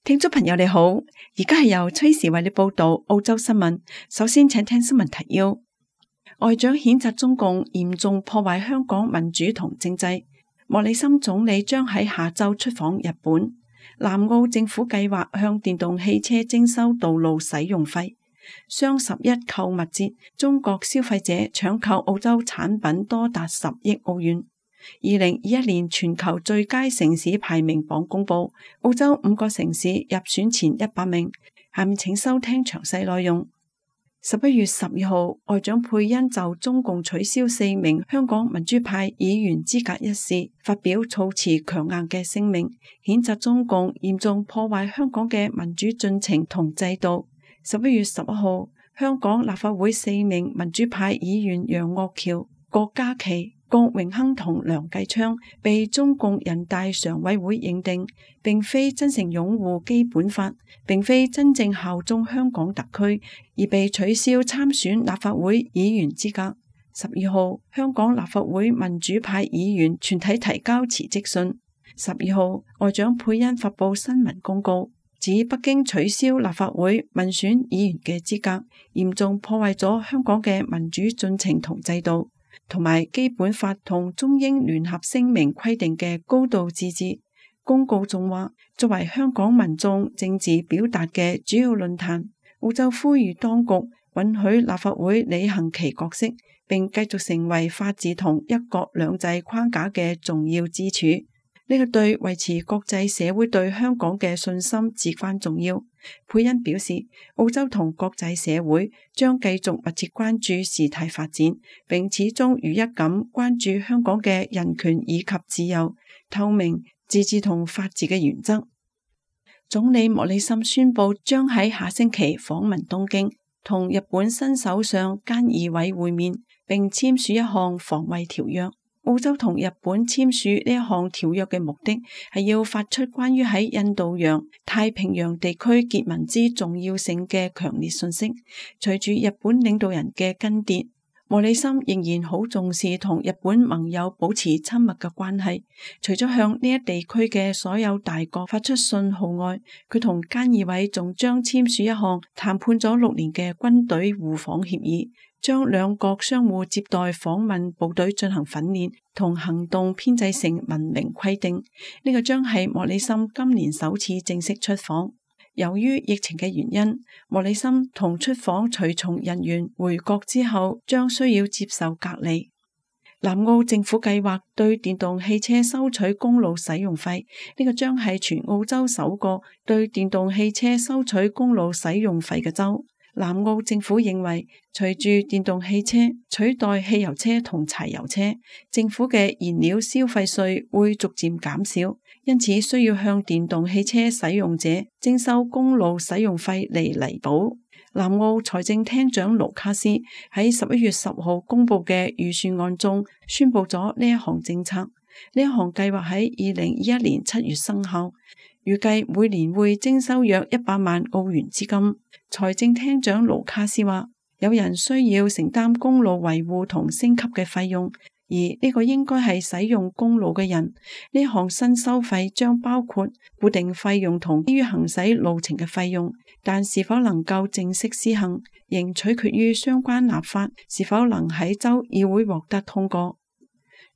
聽眾朋友你好，而家係由崔時為你報道澳洲新聞。首先請聽新聞提要。外長譴責中共嚴重破壞香港民主同政制。莫里森總理將喺下周出訪日本。南澳政府計劃向電動汽車徵收道路使用費。雙11購物節，中國消費者搶購澳洲產品多達10億澳元。2021年全球最佳城市排名榜公布，澳洲5個城市入選前100名。下面請收聽詳細內容。11月12號，外長佩恩就中共取消4名香港民主派議員資格一事發表措辭強硬嘅聲明，譴責中共嚴重破壞香港嘅民主進程同制度。11月11號，香港立法會4名民主派議員楊岳橋、郭家麒、郭榮鏗同梁繼昌被中共人大常委會認定並非真誠擁護基本法，並非真正效忠香港特區，而被取消參選立法會議員資格。12號，香港立法會民主派議員全體提交辭職信。12號，外長佩恩發布新聞公告，指北京取消立法會民選議員嘅資格，嚴重破壞咗香港嘅民主進程同制度，同埋基本法同中英聯合聲明規定嘅高度自治。公告仲話，作為香港民眾政治表達嘅主要論壇，澳洲呼籲當局允許立法會履行其角色，並繼續成為法治同一國兩制框架嘅重要支柱。呢個對維持國際社會對香港嘅信心至關重要。佩恩表示，澳洲同國際社會將繼續密切關注事態發展，並始終如一咁關注香港嘅人權以及自由、透明、自治同法治嘅原則。總理莫里森宣布將喺下星期訪問東京，同日本新首相菅義偉會面，並簽署一項防衛條約。澳洲同日本簽署呢一項條約嘅目的係要發出關於喺印度洋、太平洋地區結盟之重要性嘅強烈訊息。隨住日本領導人嘅更迭，莫里森仍然好重視同日本盟友保持親密嘅關係。除咗向呢一地區嘅所有大國發出信號外，佢同菅義偉仲將簽署一項談判咗6年嘅軍隊互訪協議，將兩國相互接待訪問部隊進行訓練同行動編製成文明規定。呢個將係莫里森今年首次正式出訪。由於疫情嘅原因，莫里森同出訪隨從人員回國之後將需要接受隔離。南澳政府計劃對電動汽車收取公路使用費，呢個將係全澳洲首個對電動汽車收取公路使用費嘅州。南澳政府認為，隨住電動汽車取代汽油車同柴油車，政府嘅燃料消費稅會逐漸減少，因此需要向電動汽車使用者徵收公路使用費嚟彌補。南澳財政廳長盧卡斯喺11月10號公布嘅預算案中宣布咗呢一項政策。呢一項計劃喺2021年7月生效，預計每年會徵收約100萬澳元資金。財政廳長盧卡斯話，有人需要承擔公路維護同升級嘅費用，而呢個應該係使用公路嘅人。呢項新收費將包括固定費用同基於行駛路程嘅費用，但是否能夠正式施行，仍取決於相關立法是否能喺州議會獲得通過。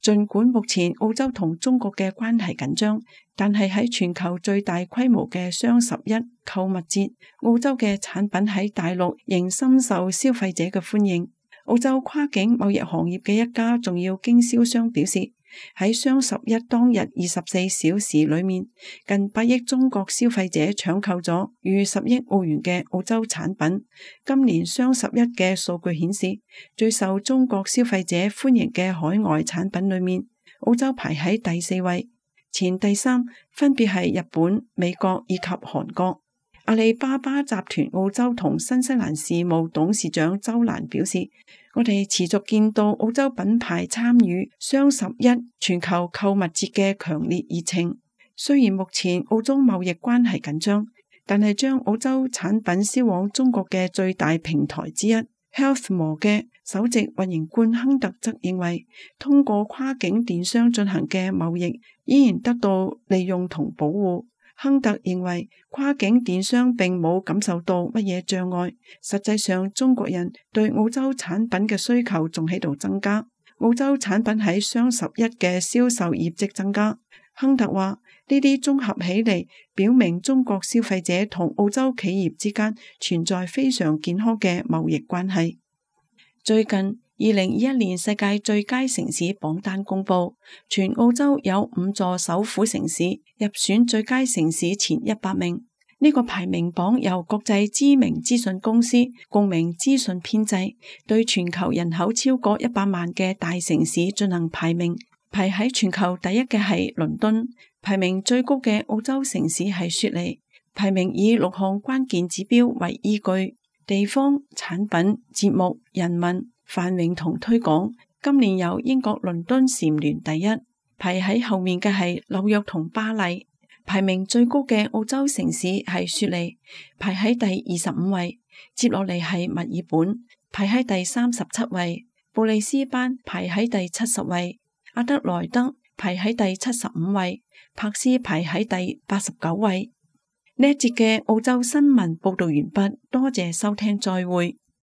儘管目前澳洲同中國嘅關係緊張，但係喺全球最大規模嘅雙11購物節，澳洲嘅產品喺大陸仍深受消費者嘅歡迎。澳洲跨境貿易行業嘅一家重要經銷商表示，喺雙11當日24小時裏面，近8億中國消費者搶購咗逾10億澳元嘅澳洲產品。今年雙11嘅數據顯示，最受中國消費者歡迎嘅海外產品裏面，澳洲排喺第4位，前第3分別係日本、美國以及韓國。阿里巴巴集團澳洲同新西蘭事務董事長周蘭表示，我哋持續見到澳洲品牌參與雙11全球購物節嘅強烈熱情。雖然目前澳中貿易關係緊張，但係將澳洲產品銷往中國嘅最大平台之一 Healthmore 嘅首席運營官亨特則認為，通過跨境電商進行嘅貿易依然得到利用同保護。亨特認為跨境電商並冇感受到乜嘢障礙，實際上中國人對澳洲產品嘅需求仲喺度增加。澳洲產品喺雙11嘅銷售業績增加。亨特話呢啲綜合起嚟，表明中國消費者同澳洲企業之間存在非常健康嘅貿易關係。最近2021年世界最佳城市榜單公布，全澳洲有5座首府城市入選最佳城市前100名。呢個排名榜由國際知名資訊公司共鳴資訊編製，對全球人口超過100萬嘅大城市進行排名。排喺全球第一嘅係倫敦，排名最高嘅澳洲城市係雪梨。排名以6項關鍵指標為依據：地方、產品、節目、人民、繁榮同推廣。今年由英國倫敦蟬聯第一，排喺後面嘅係紐約同巴黎。排名最高嘅澳洲城市係雪梨，排喺第25位。接落嚟係墨爾本，排喺第37位。布里斯班排喺第70位。阿德萊德排喺第75位，柏斯排喺第89位。呢一節嘅澳洲新聞報道完畢，多謝收聽，再會。